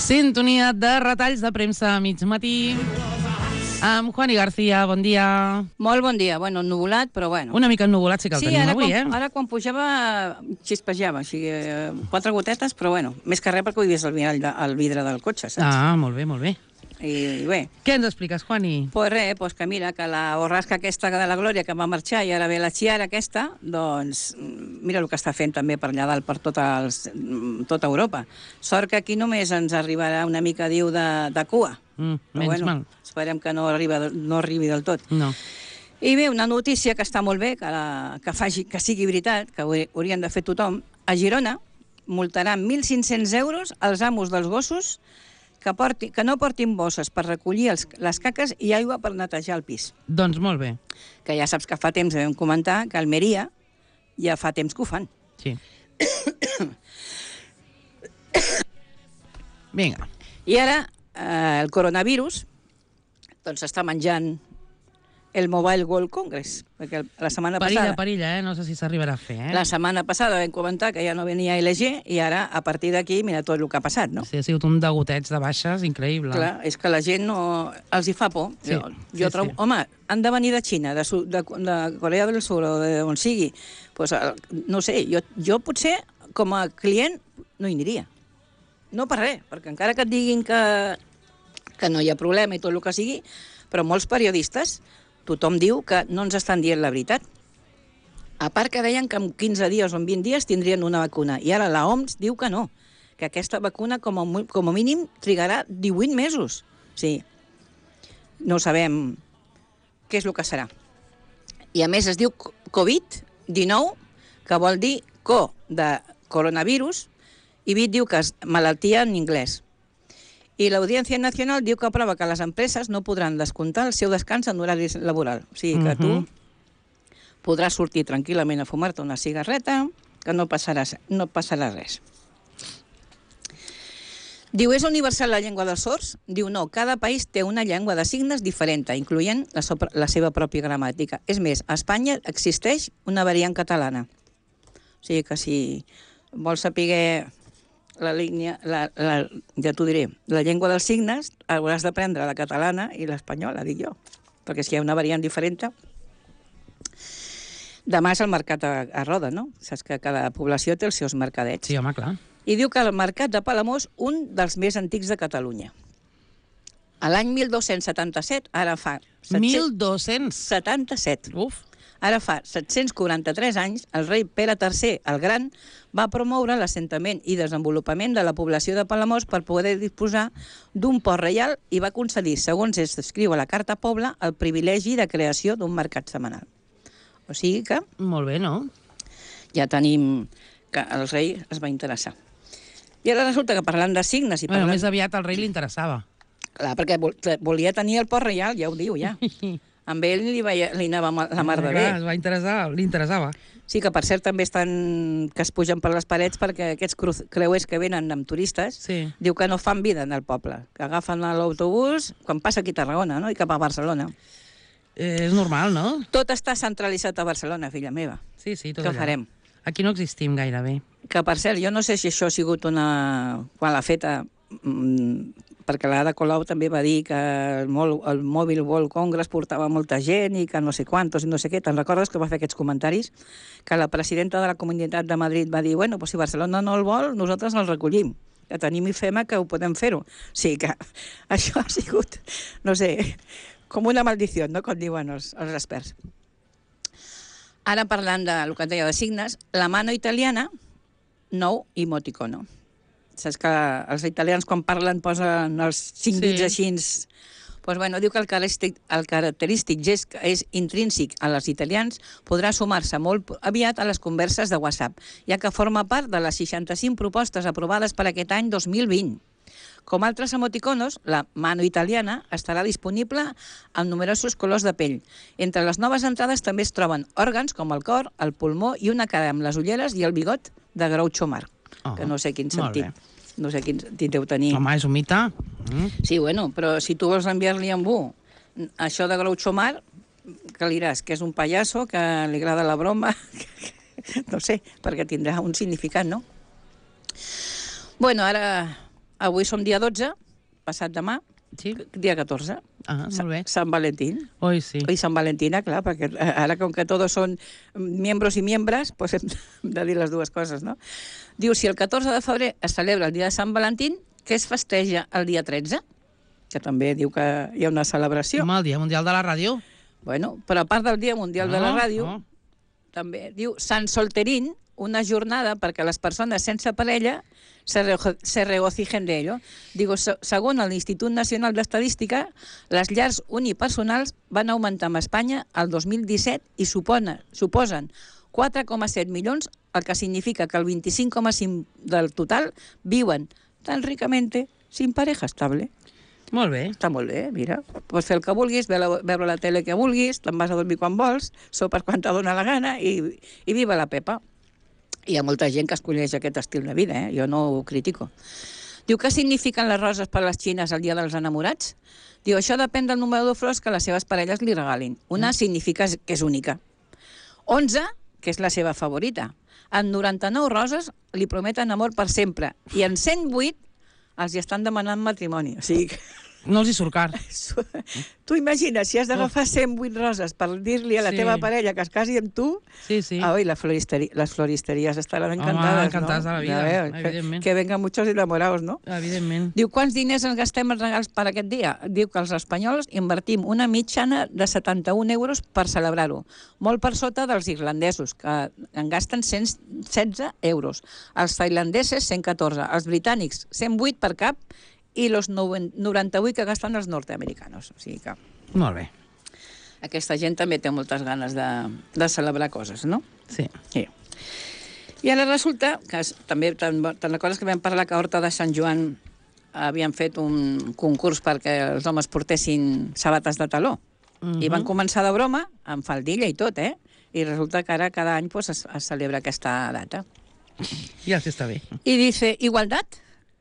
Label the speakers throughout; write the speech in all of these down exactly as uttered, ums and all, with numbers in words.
Speaker 1: Sintonia de retalls de premsa a mig matí amb Juani García, bon dia.
Speaker 2: Molt bon dia, bueno, ennuvolat, però bueno.
Speaker 1: Una mica ennuvolat sí que el
Speaker 2: sí,
Speaker 1: tenim
Speaker 2: ara
Speaker 1: avui,
Speaker 2: quan,
Speaker 1: eh?
Speaker 2: ara quan pujava xispejava, o sigui, eh, quatre gotetes, però bueno, més que res perquè ho he vist al vidre, al vidre del cotxe, saps?
Speaker 1: Ah, molt bé, molt bé.
Speaker 2: I, i bé.
Speaker 1: Què ens expliques, Juani?
Speaker 2: Pues res, pues que mira, que la borrasca aquesta de la Glòria que va marxar i ara ve la Chiara aquesta, doncs mira el que està fent també per allà dalt, per tota, els, tota Europa. Sort que aquí només ens arribarà una mica, diu, de, de cua.
Speaker 1: Mm,
Speaker 2: però
Speaker 1: menys
Speaker 2: bueno,
Speaker 1: mal.
Speaker 2: esperem que no, arriba, no arribi del tot.
Speaker 1: No.
Speaker 2: I bé, una notícia que està molt bé, que, la, que, faci, que sigui veritat, que ho haurien de fer tothom. A Girona multaran mil cinc-cents euros als amos dels gossos que, porti, que no portin bosses per recollir els, les caques i aigua per netejar el pis.
Speaker 1: Doncs molt bé.
Speaker 2: Que ja saps que fa temps vam comentar que a Almeria ja fa temps que ho fan.
Speaker 1: Sí. Vinga.
Speaker 2: I ara eh, el coronavirus doncs està menjant el Mobile World Congress, perquè la setmana
Speaker 1: Perilla,
Speaker 2: passada...
Speaker 1: perilla, eh? No sé si s'arribarà a fer, eh?
Speaker 2: La setmana passada vam comentar que ja no venia L G i ara, a partir d'aquí, mira tot el que ha passat, no?
Speaker 1: Sí, ha sigut un degotets de baixes increïble.
Speaker 2: Clar, és que la gent no... els hi fa por.
Speaker 1: Sí,
Speaker 2: jo
Speaker 1: sí,
Speaker 2: jo trobo...
Speaker 1: sí.
Speaker 2: Home, han de venir de Xina, de, Su- de, de Corea del Sur o d'on sigui. Pues, eh, no sé, jo, jo potser, com a client, no hi aniria. No per res, perquè encara que et diguin que, que no hi ha problema i tot el que sigui, però molts periodistes, tothom diu que no ens estan dient la veritat. A part que deien que en quinze dies o en vint dies tindrien una vacuna, i ara la O M S diu que no, que aquesta vacuna com a, mu- com a mínim trigarà divuit mesos. Sí, no sabem què és el que serà. I a més es diu covid dinou, que vol dir co de coronavirus, i vit diu que és malaltia en anglès. I l'Audiència Nacional diu que aprova que les empreses no podran descomptar el seu descans en horari laboral. O sigui que tu podràs sortir tranquil·lament a fumar-te una cigarreta, que no passarà, no passarà res. Diu, és universal la llengua dels sords? Diu, no, cada país té una llengua de signes diferent, incloent la, so- la seva pròpia gramàtica. És més, a Espanya existeix una variant catalana. O sigui que si vols saber la línia, la, la, ja t'ho diré, la llengua dels signes, hauràs d'aprendre la catalana i l'espanyola, dic jo, perquè si hi ha una variant diferent. Demà és el mercat a, a Roda, no? Saps que cada població té els seus mercadets.
Speaker 1: Sí, home, clar.
Speaker 2: I diu que el mercat de Palamós, un dels més antics de Catalunya. A l'any mil dos-cents setanta-set, ara fa...
Speaker 1: mil dos-cents.
Speaker 2: setanta-set.
Speaker 1: Uf.
Speaker 2: Ara fa set-cents quaranta-tres anys, el rei Pere tercer el Gran va promoure l'assentament i desenvolupament de la població de Palamós per poder disposar d'un port reial i va concedir, segons es descriu a la Carta Pobla, el privilegi de creació d'un mercat setmanal. O sigui que
Speaker 1: Molt bé, no?
Speaker 2: ja tenim que el rei es va interessar. I ara resulta que parlant de signes i
Speaker 1: Bueno,
Speaker 2: parlant...
Speaker 1: més aviat al rei li interessava.
Speaker 2: Clar, perquè vol- volia tenir el port reial, ja ho diu, ja. Amb ell li, veia, li anava ma- la mar de bé.
Speaker 1: Clar, es va interessar, li interessava.
Speaker 2: Sí, que per cert també estan... que es pugen per les parets perquè aquests cru- creuers que venen amb turistes
Speaker 1: Sí.
Speaker 2: diu que no fan vida en el poble, que agafen l'autobús quan passa aquí a Tarragona, no?, i cap a Barcelona.
Speaker 1: Eh, és normal, no?
Speaker 2: Tot està centralitzat a Barcelona, filla meva.
Speaker 1: Sí, sí, tot
Speaker 2: Què
Speaker 1: allà.
Speaker 2: farem?
Speaker 1: Aquí no existim gairebé.
Speaker 2: Que, per cert, jo no sé si això ha sigut una... quan l'ha feta... Mm, perquè l'Ada Colau també va dir que el, Mol, el Mobile World Congress portava molta gent i que no sé quantos i no sé què. Te'n recordes que va fer aquests comentaris? Que la presidenta de la Comunitat de Madrid va dir, bueno, pues si Barcelona no el vol, nosaltres el recollim. Que tenim I F E M A que ho podem fer-ho. O sigui que això ha sigut, no sé, com una maldició, no?, com diuen els, els experts. Ara parlant del que et deia de signes, la mano italiana, nou emoticono. Saps que els italians quan parlen posen els cinc
Speaker 1: Sí.
Speaker 2: dits així... Pues bueno, diu que el característic, el característic gest que és intrínsec a els italians podrà sumar-se molt aviat a les converses de WhatsApp, ja que forma part de les seixanta-cinc propostes aprovades per aquest any dos mil vint. Com altres emoticonos, la mano italiana estarà disponible en numerosos colors de pell. Entre les noves entrades també es troben òrgans com el cor, el pulmó i una cara amb les ulleres i el bigot de Groucho Marx.
Speaker 1: Oh,
Speaker 2: Que no sé quin
Speaker 1: molt
Speaker 2: sentit.
Speaker 1: bé.
Speaker 2: No sé quin sentit deu tenir.
Speaker 1: Home, és un mite. Mm.
Speaker 2: Sí, bueno, però si tu vols enviar-li a algú això de Groucho Marx, que li diràs que és un pallasso, que li agrada la broma, no sé, perquè tindrà un significat, no? Bueno, ara avui som dia dotze, passat demà,
Speaker 1: Sí?
Speaker 2: dia catorze.
Speaker 1: Ah, molt bé.
Speaker 2: Sant Valentín.
Speaker 1: Oi, sí.
Speaker 2: I Sant Valentina, clar, perquè ara com que tots són miembros i miembres, pues hem de dir les dues coses, no? Diu, si el catorze de febrer es celebra el dia de Sant Valentín, què es festeja el dia tretze? Que també diu que hi ha una celebració.
Speaker 1: Home, el Dia Mundial de la Ràdio.
Speaker 2: Bueno, però a part del Dia Mundial de la
Speaker 1: No,
Speaker 2: Ràdio,
Speaker 1: no.
Speaker 2: també diu Sant Solterín, una jornada perquè les persones sense parella se, rejo se regocijen de ello. Digo, se segons l'Institut Nacional d'Estadística, les llars unipersonals van augmentar a Espanya el dos mil disset i supone, suposen quatre coma set milions, el que significa que el vint-i-cinc coma cinc del total viuen tan ricamente sin pareja estable.
Speaker 1: Molt bé.
Speaker 2: Està molt bé, mira. Pots fer el que vulguis, veure, veure la tele que vulguis, te'n vas a dormir quan vols, sopes quan te dona la gana i, i viva la Pepa. Hi ha molta gent que escolleix aquest estil de vida, eh? Jo no ho critico. Diu, què signifiquen les roses per a les xines el dia dels enamorats? Diu, això depèn del número de flors que les seves parelles li regalin. Una mm. significa que és única. onze, que és la seva favorita. En noranta-nou roses li prometen amor per sempre. I en cent vuit els hi estan demanant matrimoni. O sigui que...
Speaker 1: No els hi surt car.
Speaker 2: Tu imagines, si has d'agafar cent vuit roses per dir-li a la
Speaker 1: Sí.
Speaker 2: teva parella que es casi amb tu,
Speaker 1: Sí, sí.
Speaker 2: ah, oi, la floristeri les floristeries estaran encantades,
Speaker 1: encantadas
Speaker 2: no?
Speaker 1: de la vida,
Speaker 2: Ja veus,
Speaker 1: evidentment.
Speaker 2: Que, que vengan muchos enamorados, no?
Speaker 1: Evidentment.
Speaker 2: Diu, quants diners ens gastem en regals per aquest dia? Diu que els espanyols invertim una mitjana de setanta-un euros per celebrar-ho, molt per sota dels irlandesos, que en gasten cent setze euros, els tailandeses cent catorze, els britànics cent vuit per cap i els noranta-vuit que gasten els nord-americanos. O sigui que
Speaker 1: Molt bé.
Speaker 2: aquesta gent també té moltes ganes de, de celebrar coses, no?
Speaker 1: Sí.
Speaker 2: Sí. I ara resulta que es, també te'n te recordes que vam parlar que a Horta de Sant Joan havien fet un concurs perquè els homes portessin sabates de taló. Uh -huh. I van començar de broma, amb faldilla i tot, eh? I resulta que ara cada any pues, es, es celebra aquesta data.
Speaker 1: Ja sí està bé.
Speaker 2: I dice, igualdad,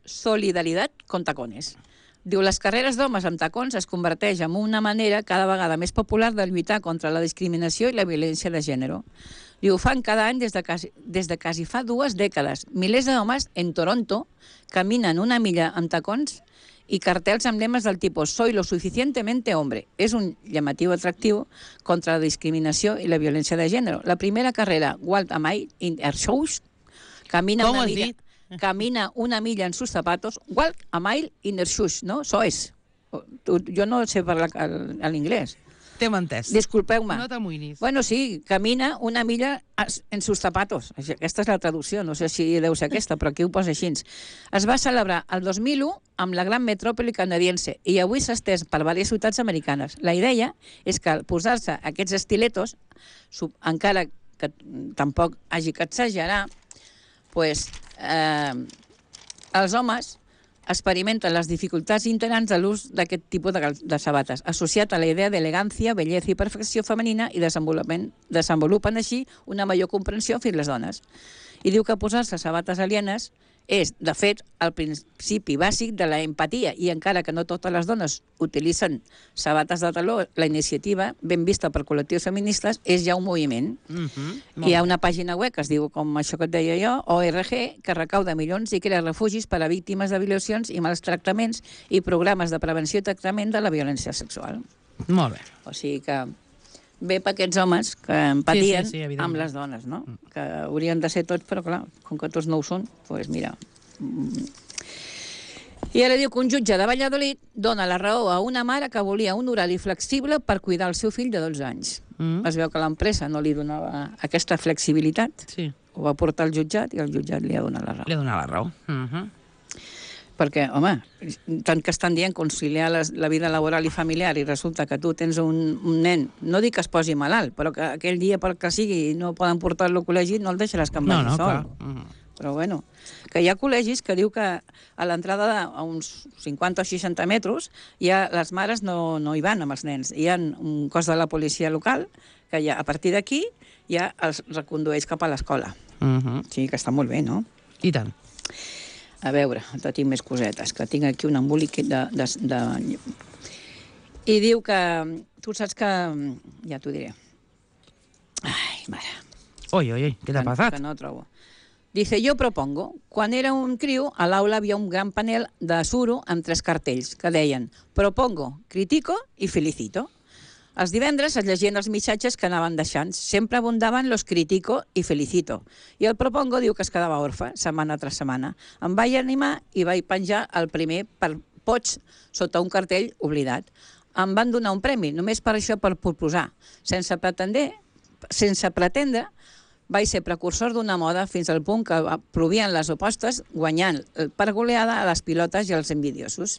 Speaker 2: solidaridad con tacones. Diu, les carreres d'homes amb tacons es converteix en una manera cada vegada més popular de lluitar contra la discriminació i la violència de gènere. Diu, ho fan cada any des de quasi, des de quasi fa dues dècades. Milers d'homes en Toronto caminen una milla amb tacons i cartells amb lemes del tipus «Soy lo suficientemente hombre». És un llamatiu atractiu contra la discriminació i la violència de gènere. La primera carrera, Walk a Mile in Her Shoes, camina
Speaker 1: Com
Speaker 2: una
Speaker 1: has
Speaker 2: milla...
Speaker 1: dit?
Speaker 2: Camina una milla en sus zapatos, walk a mile in her shoes, ¿no? Eso es. Jo no sé parlar l'inglès.
Speaker 1: T'hem entès.
Speaker 2: Disculpeu-me.
Speaker 1: No t'amoïnis.
Speaker 2: Bueno, sí, camina una milla en sus zapatos. Aquesta és la traducció, no sé si deu ser aquesta, però aquí ho posa així. Es va celebrar el dos mil u amb la gran metròpoli canadiense i avui s'ha estès per diverses ciutats americanes. La idea és que al posar-se aquests estiletos, encara que tampoc hagi que exagerar, pues, eh, els homes experimenten les dificultats internes de l'ús d'aquest tipus de, de sabates, associat a la idea d'elegància, bellesa i perfecció femenina i desenvolupament, desenvolupen així una major comprensió fins les dones. I diu que posar-se sabates alienes és, de fet, el principi bàsic de la empatia i encara que no totes les dones utilitzen sabates de taló, la iniciativa, ben vista per col·lectius feministes, és ja un moviment.
Speaker 1: Mm-hmm.
Speaker 2: Hi ha una pàgina web que es diu, com això que et deia jo, O R G, que recauda milions i crea refugis per a víctimes de violacions i mals tractaments i programes de prevenció i tractament de la violència sexual.
Speaker 1: Molt bé.
Speaker 2: O sigui que bé per aquests homes que empatien
Speaker 1: Sí, sí, sí,
Speaker 2: amb les dones, no? Que haurien de ser tots, però clar, com que tots no ho són, doncs pues mira. I ara diu que un jutge de Valladolid dona la raó a una mare que volia un horari flexible per cuidar el seu fill de dotze anys.
Speaker 1: Mm.
Speaker 2: Es veu que l'empresa no li donava aquesta flexibilitat,
Speaker 1: Sí.
Speaker 2: ho va portar al jutjat i el jutjat li ha donat la raó.
Speaker 1: Li ha donat la raó. Mm-hmm.
Speaker 2: Perquè, home, tant que estan dient conciliar les, la vida laboral i familiar i resulta que tu tens un, un nen, no dic que es posi malalt, però que aquell dia per que sigui no poden portar-lo al col·legi, no el deixaràs que en
Speaker 1: No,
Speaker 2: vagi
Speaker 1: no,
Speaker 2: sol.
Speaker 1: clar. Mm-hmm.
Speaker 2: Però bueno, que hi ha col·legis que diu que a l'entrada a uns cinquanta o seixanta metres ja les mares no, no hi van amb els nens. Hi ha un cos de la policia local que ja, a partir d'aquí ja els recondueix cap a l'escola.
Speaker 1: Mm-hmm.
Speaker 2: Sí, que està molt bé, no?
Speaker 1: I tant.
Speaker 2: A veure, te tinc més cosetes, que tinc aquí un embolic de, de, de... I diu que... Tu saps que... Ja t'ho diré. Ai, mare.
Speaker 1: Oi, oi, oi, què t'ha
Speaker 2: que,
Speaker 1: passat?
Speaker 2: Que no trobo. Dice, yo propongo. Quan era un criu, a l'aula havia un gran panel de suro amb tres cartells que deien propongo, critico i felicito. Els divendres es llegien els missatges que anaven deixant. Sempre abundaven los critico i felicito. I el propongo diu que es quedava orfe, setmana tras setmana. Em vaig animar i vaig penjar el primer per pots sota un cartell oblidat. Em van donar un premi, només per això, per proposar. Sense pretendre, sense pretendre vaig ser precursor d'una moda fins al punt que provien les opostes, guanyant per goleada a les pilotes i als envidiosos.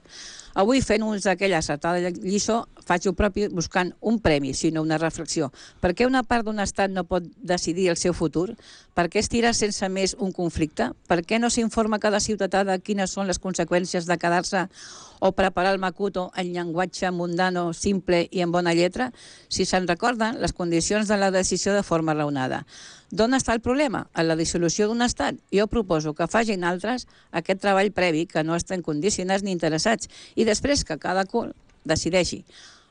Speaker 2: Avui, fent uns d'aquella acertada lliçó, faig el propi buscant un premi, sinó una reflexió. Per què una part d'un estat no pot decidir el seu futur? Per què estirar sense més un conflicte? Per què no s'informa cada ciutadà de quines són les conseqüències de quedar-se o preparar el Makuto en llenguatge mundano, simple i en bona lletra? Si se'n recorden, les condicions de la decisió de forma raonada. D'on està el problema? En la dissolució d'un estat. Jo proposo que facin altres aquest treball previ, que no estan condicionats ni interessats, i després que cada cul decideixi.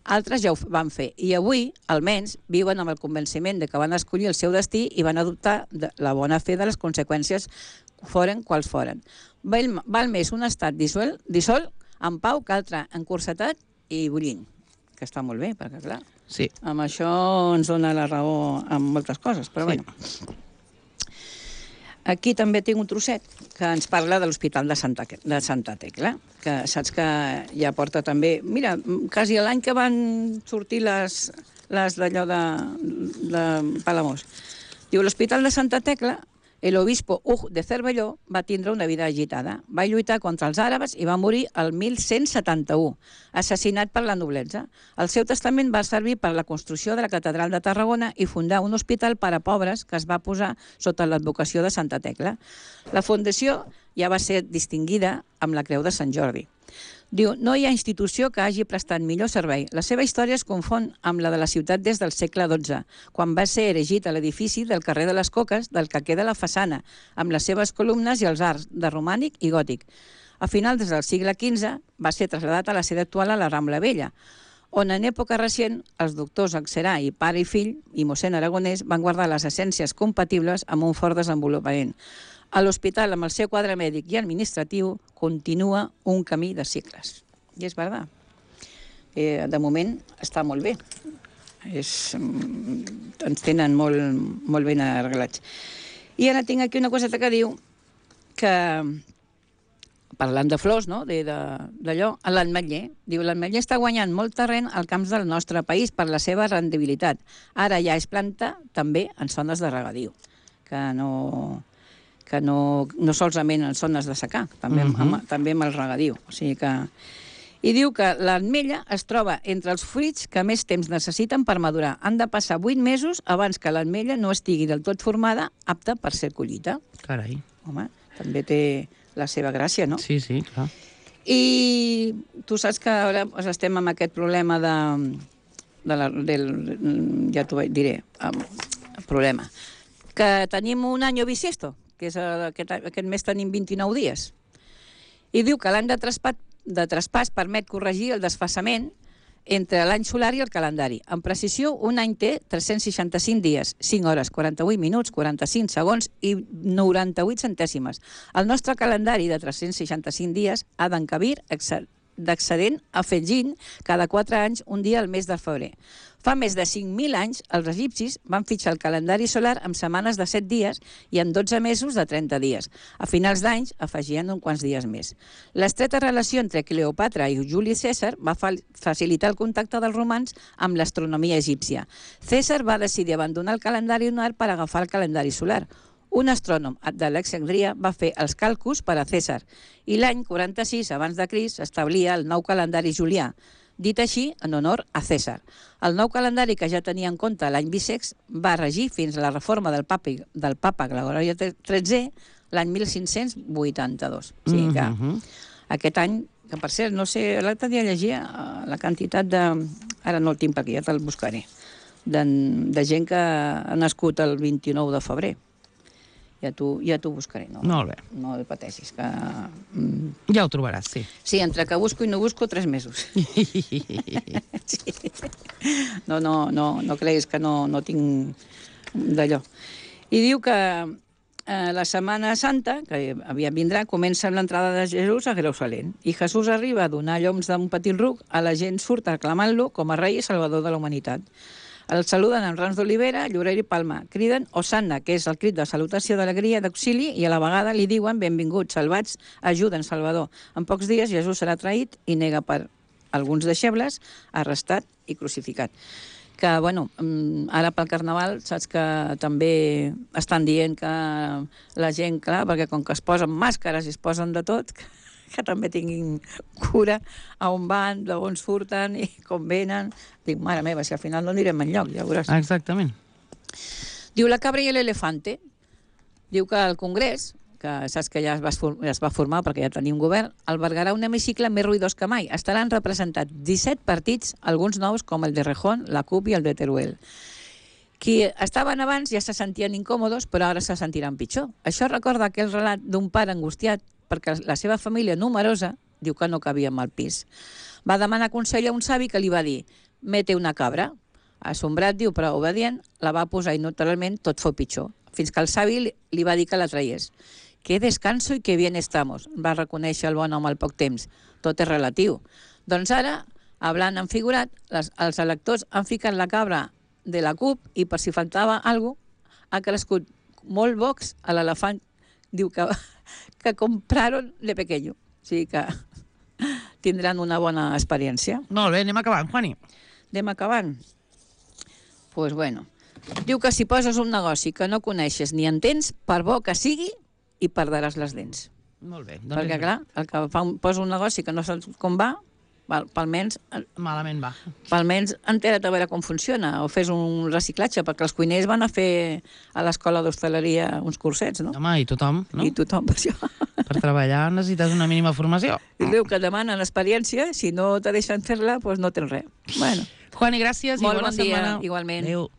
Speaker 2: Altres ja ho van fer, i avui, almenys, viuen amb el convenciment de que van escollir el seu destí i van adoptar la bona fe de les conseqüències, foren quals foren. Val, val més un estat dissol, dissol en pau que altre encursetat i bullint, que està molt bé, perquè clar,
Speaker 1: sí.
Speaker 2: Amb això ens dona la raó en moltes coses, però sí. Bueno. Aquí també tinc un trosset que ens parla de l'Hospital de Santa, de Santa Tecla, que saps que ja porta també... Mira, quasi l'any que van sortir les, les d'allò de, de Palamós. Diu, l'Hospital de Santa Tecla, el obispo Hug de Cervelló va tindre una vida agitada. Va lluitar contra els àrabs i va morir el mil cent setanta-u, assassinat per la noblesa. El seu testament va servir per la construcció de la Catedral de Tarragona i fundar un hospital per a pobres que es va posar sota l'advocació de Santa Tecla. La fundació ja va ser distingida amb la Creu de Sant Jordi. Diu, no hi ha institució que hagi prestat millor servei. La seva història es confon amb la de la ciutat des del segle dotze, quan va ser erigit a l'edifici del carrer de les Coques, del que queda la façana, amb les seves columnes i els arcs de romànic i gòtic. A finals del segle quinze va ser traslladat a la sede actual a la Rambla Vella, on en època recent els doctors Axerà i pare i fill i mossèn Aragonès van guardar les essències compatibles amb un fort desenvolupament. A l'hospital, amb el seu quadre mèdic i administratiu, continua un camí de cicles. I és veritat. Eh, de moment està molt bé. És, ens tenen molt, molt ben arreglats. I ara tinc aquí una coseta que diu que, parlant de flors, no?, d'allò, l'ametller. Diu, l'ametller està guanyant molt terreny al camps del nostre país per la seva rendibilitat. Ara ja es planta també en zones de regadiu, que no... que no, no solament en zones de secà, també, uh -huh. amb, també amb el regadiu. O sigui que... I diu que l'ametlla es troba entre els fruits que més temps necessiten per madurar. Han de passar vuit mesos abans que l'ametlla no estigui del tot formada, apta per ser collita.
Speaker 1: Carai.
Speaker 2: Home, també té la seva gràcia, no?
Speaker 1: Sí, sí, clar.
Speaker 2: I tu saps que ara doncs, estem amb aquest problema de... de la, del, ja t'ho diré, el problema. Que tenim un any bisiesto, que és aquest, aquest mes tenim vint-i-nou dies. I diu que l'any de traspàs, de traspàs permet corregir el desfasament entre l'any solar i el calendari. En precisió, un any té tres-cents seixanta-cinc dies, cinc hores, quaranta-vuit minuts, quaranta-cinc segons i noranta-vuit centèsimes. El nostre calendari de tres-cents seixanta-cinc dies ha d'encabir d'excedent afegint cada quatre anys un dia al mes de febrer. Fa més de cinc mil anys, els egipcis van fitxar el calendari solar amb setmanes de set dies i en dotze mesos de trenta dies. A finals d'anys afegien uns quants dies més. L'estreta relació entre Cleopatra i Juli Cèsar va facilitar el contacte dels romans amb l'astronomia egípcia. Cèsar va decidir abandonar el calendari lunar per agafar el calendari solar. Un astrònom d'Alexandria va fer els càlculs per a Cèsar i l'any quaranta-sis abans de Crist establia el nou calendari julià, dit així en honor a Cèsar. El nou calendari, que ja tenia en compte l'any bissext, va regir fins a la reforma del papa, del papa Gregori tretzè l'any mil cinc-cents vuitanta-dos. O sigui que mm-hmm. aquest any, que per cert, no sé, l'altre dia llegia la quantitat de... Ara no el tinc per aquí, ja te'l buscaré. De, de gent que ha nascut el vint-i-nou de febrer. Ja t'ho ja buscaré. No,
Speaker 1: Molt bé.
Speaker 2: No pateixis, que...
Speaker 1: Ja ho trobaràs, sí.
Speaker 2: Sí, entre que busco i no busco, tres mesos. Sí. No, no, no, no creguis que no, no tinc d'allò. I diu que eh, la Setmana Santa, que aviat vindrà, comença amb l'entrada de Jesús a Jerusalem. I Jesús arriba a donar lloms d'un petit ruc, a la gent surt aclamant-lo com a rei i salvador de la humanitat. El saluden amb rams d'olivera, llorer i palma. Criden Hosanna, que és el crit de salutació d'alegria, d'auxili, i a la vegada li diuen benvinguts, salvats, ajuden, Salvador. En pocs dies Jesús serà traït i nega per alguns deixebles, arrestat i crucificat. Que, bueno, ara pel Carnaval saps que també estan dient que la gent, clar, perquè com que es posen màscares i es posen de tot, que també tinguin cura a on van, d'on surten i com venen. Dic, mare meva, si al final no anirem enlloc, ja veuràs.
Speaker 1: Exactament.
Speaker 2: Diu la cabra i l'elefante. Diu que el Congrés, que saps que ja es va, ja es va formar perquè ja tenim govern, albergarà un hemicicle més ruïdós que mai. Estaran representats disset partits, alguns nous com el de Rejón, la CUP i el de Teruel. Qui estaven abans ja se sentien incòmodes, però ara se sentiran pitjor. Això recorda aquell relat d'un pare angustiat perquè la seva família numerosa diu que no cabia al pis. Va demanar consell a un savi que li va dir «Mete una cabra». Assombrat, diu, però obedient, la va posar i naturalment tot fou pitjor, fins que el savi li va dir que la traies. «Qué descanso i qué bien estamos», va reconèixer el bon home al poc temps. Tot és relatiu. Doncs ara, hablant en figurat, les, els electors han ficat la cabra de la CUP i per si faltava alguna cosa, ha crescut molt Vox a l'elefant, diu que, que compraron de pequeño. O sigui que tindran una bona experiència.
Speaker 1: Molt bé, anem acabant, Juani.
Speaker 2: Anem acabant. Doncs pues bueno. Diu que si poses un negoci que no coneixes ni entens, per bo que sigui, hi perdràs les dents.
Speaker 1: Molt bé. Doncs
Speaker 2: perquè, clar, el que fa un, posa un negoci que no saps com va, almenys...
Speaker 1: Malament va.
Speaker 2: Almenys entera't a veure com funciona, o fes un reciclatge, perquè els cuiners van a fer a l'escola d'hostaleria uns cursets, no?
Speaker 1: Home, i tothom, no?
Speaker 2: I tothom, per això.
Speaker 1: Per treballar necessites una mínima formació.
Speaker 2: I diu que demanen experiència, si no te deixen fer-la, doncs no tens res. Bueno.
Speaker 1: Juani, gràcies i
Speaker 2: Molt
Speaker 1: bona
Speaker 2: bon dia,
Speaker 1: setmana.
Speaker 2: igualment.
Speaker 1: Adéu.